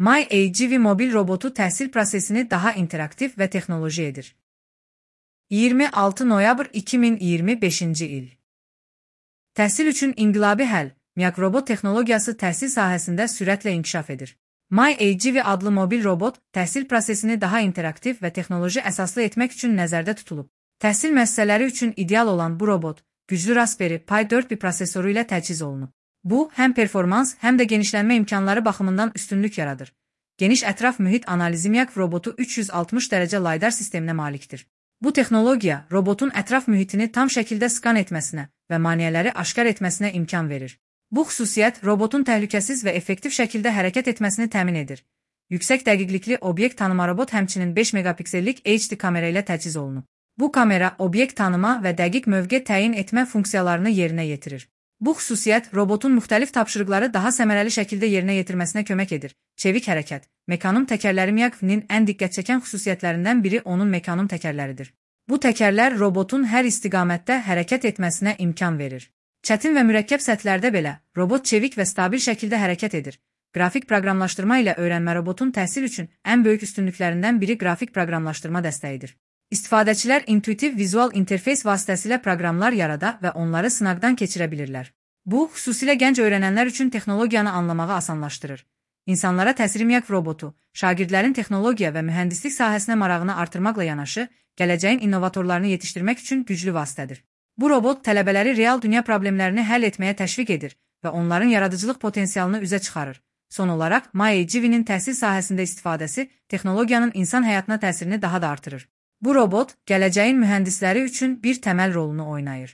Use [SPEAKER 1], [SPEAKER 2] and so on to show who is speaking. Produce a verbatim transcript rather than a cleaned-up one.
[SPEAKER 1] MyAGV mobil robotu təhsil prosesini daha interaktiv və texnoloji edir. iyirmi altı noyabr iki min iyirmi beşinci il. Təhsil üçün inqilabi həll, MiAG robot texnologiyası təhsil sahəsində sürətlə inkişaf edir. MyAGV adlı mobil robot təhsil prosesini daha interaktiv və texnoloji əsaslı etmək üçün nəzərdə tutulub. Təhsil müəssisələri üçün ideal olan bu robot, güclü Raspberry Pi dörd bir prosesoru ilə təchiz olunub. Bu, həm performans, həm də genişlənmə imkanları baxımından üstünlük yaradır. Geniş ətraf mühit analizi MiAG robotu üç yüz altmış dərəcə laydar sisteminə malikdir. Bu texnologiya, robotun ətraf mühitini tam şəkildə skan etməsinə və maneələri aşkar etməsinə imkan verir. Bu xüsusiyyət, robotun təhlükəsiz və effektiv şəkildə hərəkət etməsini təmin edir. Yüksək dəqiqlikli obyekt tanıma robot həmçinin beş megapiksellik H D kamera ilə təchiz olunub. Bu kamera, obyekt tanıma və dəqiq mövqe təyin etmə funksiyalarını yerinə yetirir. Bu xüsusiyyət, robotun müxtəlif tapşırıqları daha səmərəli şəkildə yerinə yetirməsinə kömək edir. Çevik hərəkət, mekanom təkərləri MiAG-nin ən diqqət çəkən xüsusiyyətlərindən biri onun mekanom təkərləridir. Bu təkərlər robotun hər istiqamətdə hərəkət etməsinə imkan verir. Çətin və mürəkkəb səthlərdə belə, robot çevik və stabil şəkildə hərəkət edir. Qrafik proqramlaşdırma ilə öyrənmə robotun təhsil üçün ən böyük üstünlüklərindən biri qrafik proqramlaşdırma dəstəyidir. İstifadəçilər intuitiv vizual interfeys vasitəsilə proqramlar yarada və onları sınaqdan keçirə bilirlər. Bu, xüsusilə gənc öyrənənlər üçün texnologiyanı anlamağı asanlaşdırır. İnsanlara təsiri MiAG robotu, şagirdlərin texnologiya və mühəndislik sahəsinə marağını artırmaqla yanaşı, gələcəyin innovatorlarını yetişdirmək üçün güclü vasitədir. Bu robot tələbələri real dünya problemlərini həll etməyə təşviq edir və onların yaradıcılıq potensialını üzə çıxarır. Son olaraq, MyAGV-nin təhsil sahəsində istifadəsi texnologiyanın insan həyatına təsirini daha da artırır. Bu robot, gələcəyin mühəndisləri üçün bir təməl rolunu oynayır.